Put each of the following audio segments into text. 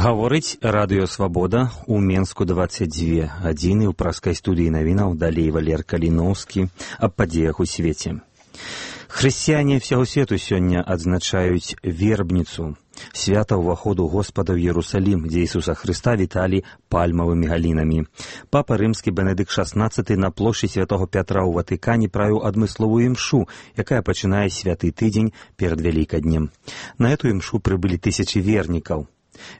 Гаворыць радыё «Свабода» у Менску 22 гадзіны ў праскай студыі навінаў далей Валер Каліноўскі аб падзеях у свеце. Хрысціяне ўсяго свету сёння адзначаюць вербніцу, свята ўваходу Господа ў Иерусалим, дзе Ісуса Хрыста віталі пальмавымі галінамі. Папа рымскі Бенедыкт XVI на плошчы Святого Пятра ў Ватыкане правіў адмысловую імшу, якая пачынае святы тыдзень перад Вялікаднем. На эту імшу прыбылі тысячы вернікаў.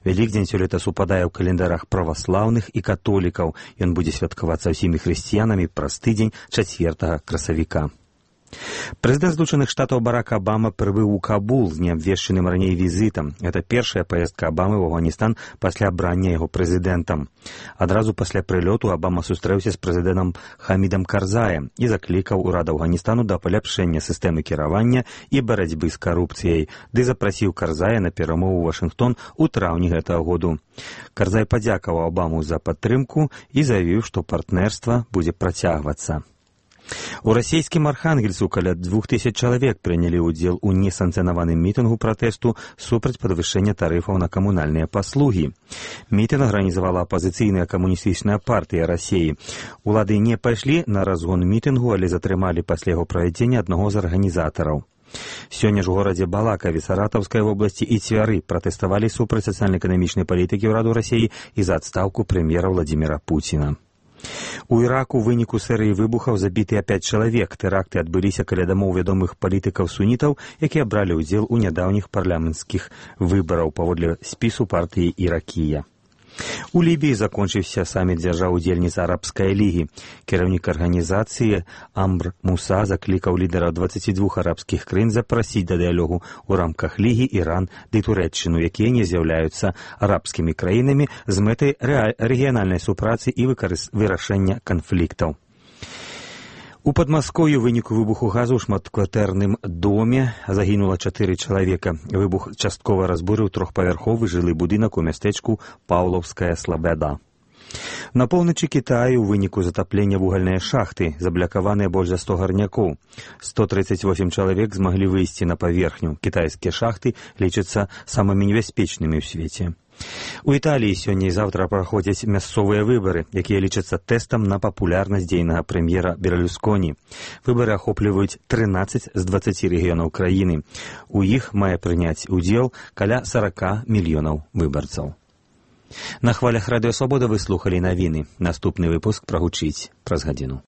Вялікдзень сёлета супадае ў календарах праваслаўных і католікаў. Ён будзе святкавацца ўсімі хрысціянамі праз тыдзень 4 красавіка. Прэзідэнт Злучаных Штатаў Барак Абама прыбыў у Кабул з неабвешчаным раней візітам. Это першая паездка Абамы ў Афганістан пасля абрання яго прэзідэнтам. Адразу пасля прылёту Абама сустрэўся з прэзідэнтам Хамідам Карзаем і заклікаў урад Афганістану да паляпшэння сістэмы кіравання і барацьбы з карупцыяй, ды запрасіў Карзая на перамову ў Вашынгтон у траўні гэтага году. Карзай падзякаваў Абаму за падтрымку і заявіў, што партнерства будзе працягвацца. У расійскім Архангельску каля 2000 чалавек прынялі ўдзел у несанкцыянаваным мітынгу пратэсту супраць падвышэння тарыфаў на камунальныя паслугі. Мітынг арганізавала апазіцыйная камуністычная партыя Расіі. Улады не пайшлі на разгон мітынгу, але затрымалі пасля яго правядзення аднаго з арганізатараў. Сёння ж у горадзе Балакаве Саратаўскай вобласці і Цвяры пратэставалі супраць сацыяльна-эканамічнай палітыкі ўраду Расіі і за адстаўку прэм'ера Владзіміра Пуціна. У Іраку ў выніку серыі выбухаў забітыя 5 чалавек. Тэракты адбыліся каля дамоў вядомых палітыкаў-сунітаў, якія бралі ўдзел у нядаўніх парламенцкіх выбараў паводле спісу партыі Іракія. У Лібіі закончыўся саміт дзяржаў-удзельніц Арабскай лігі. Кіраўнік арганізацыі Амбр Муса заклікаў лідараў 22 арабскіх краін запрасіць да дыялогу ў рамках лігі Іран ды Турэччыну, якія не з'яўляюцца арабскімі краінамі з мэтай рэгіянальнай супрацы і вырашэння канфліктаў. У Падмаскоўі ў выніку выбуху газу ў шматкватэрным доме загінула 4 чалавека. Выбух часткова разбурыў трохпавярховы жылы будынак у мястэчку Паўлаўская Слабяда. На поўначы Кітаю ў выніку затаплення вугальныя шахты заблякаваныя больш за 100 гарнякоў. 138 чалавек змаглі выйсці на паверхню. Кітайскія шахты лічацца самымі небяспечнымі ў свеце. У Італіі сёння і заўтра праходзяць мясцовыя выбары, якія лічацца тэстам на папулярнасць дзейнага прэм'ера Берлюсконі. Выбары ахопліваюць 13 з 20 рэгіёнаў краіны. У іх мае прыняць удзел каля 40 мільёнаў выбарцаў. На хвалях радыё «Свабода» вы слухалі навіны. Наступны выпуск прагучыць праз гадзіну.